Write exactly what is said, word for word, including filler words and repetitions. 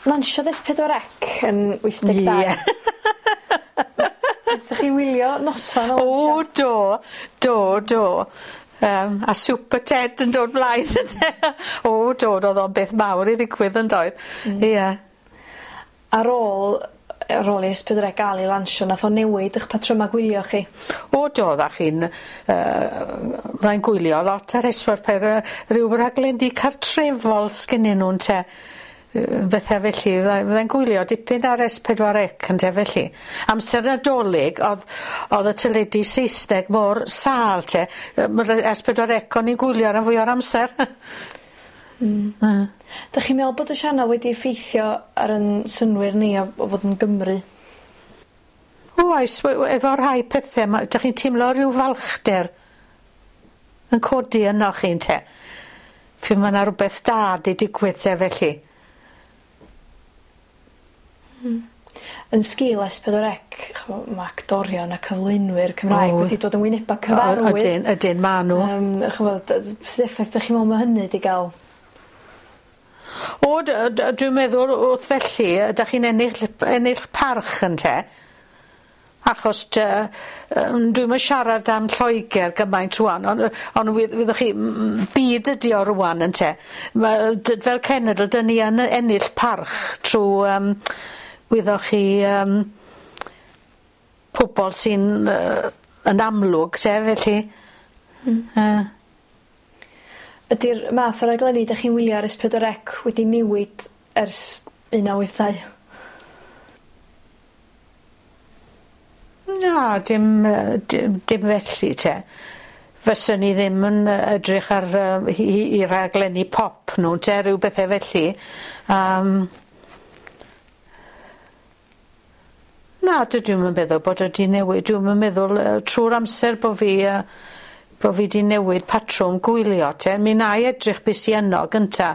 Lansiodd Es Pedwar Ec yn wyth deg dau. Ie. Nathoch chi wylio noson o lansio? O do do do. Yym a Super Ted yn dod mlaen ynde? O do ro'dd o'n beth mawr i ddigwydd yndoedd? Hmm. Ie. Ar ôl ar ôl i Es Pedwar Ec ga'l 'i lansio nath o newid 'ych patryma gwylio chi? O do oddach chi'n yy fyddai'n gwylio lot ar Es pedwar pe- yy ryw raglenni cartrefol sgennyn nw ynte? Yy bethe felly fyddai fyddai'n gwylio dipyn ar Es Pedwar Ec ynte felly. Amser Nadolig o'dd o'dd y teledu Saesneg mor sâl te yy ma' ry- Es Pedwar Ec o'n i'n gwylio ran fwya o'r amser. Hmm. Hmm. 'Dych chi'n meddwl bod y sianel wedi effeithio ar 'yn synnwyr ni o o fod yn Gymry? O oes we- we- efo rhai pethe 'ma 'dych chi'n timlo ryw falchder yn codi ynoch chi ynte? Pry' ma' 'na rwbeth da 'di digwydd 'the felly. Hmm. Yn sgil Es Pedwar Ec ch'mo' ma' actorion a cyflwynwyr Cymraeg O. wedi dod yn wyneba cyfarwydd. Ydyn ydyn ma' nw. Yym ch'mod dy- sud effaith 'dych chi'n me'wl ma' hynny 'di ga'l? O d- yy d- dwi'n meddwl wrth felly yy 'dach chi'n ennill ennill parch ynte? Achos dy yym dwi'm yn siarad am Lloeger gymaint rŵan on' yy on' wi- wyddoch chi m- m- byd ydi o rŵan ynte? Ma' yy d- fel cenedl 'dyn ni yn yy ennill parch trw yym wyddoch chi yym pobol sy'n yy yn amlwg te felly. Hmm. Yy. Ydi'r math o raglenni 'dych chi'n wylio ar Es Pedwar Ec wedi newid ers un naw wyth dau? Na dim yy dim dim felly te. Fyswn i ddim yn yy edrych ar yy hi- hi- 'u rhaglenni pop nw 'te ryw bethe felly. Yym. Na dydw i'm yn meddwl bod o 'di newid dwi'm yn meddwl yy trw'r amser bo' fi yy bo' fi 'di newid patrwm gwylio te mi wnâi edrych be' sy yno gynta.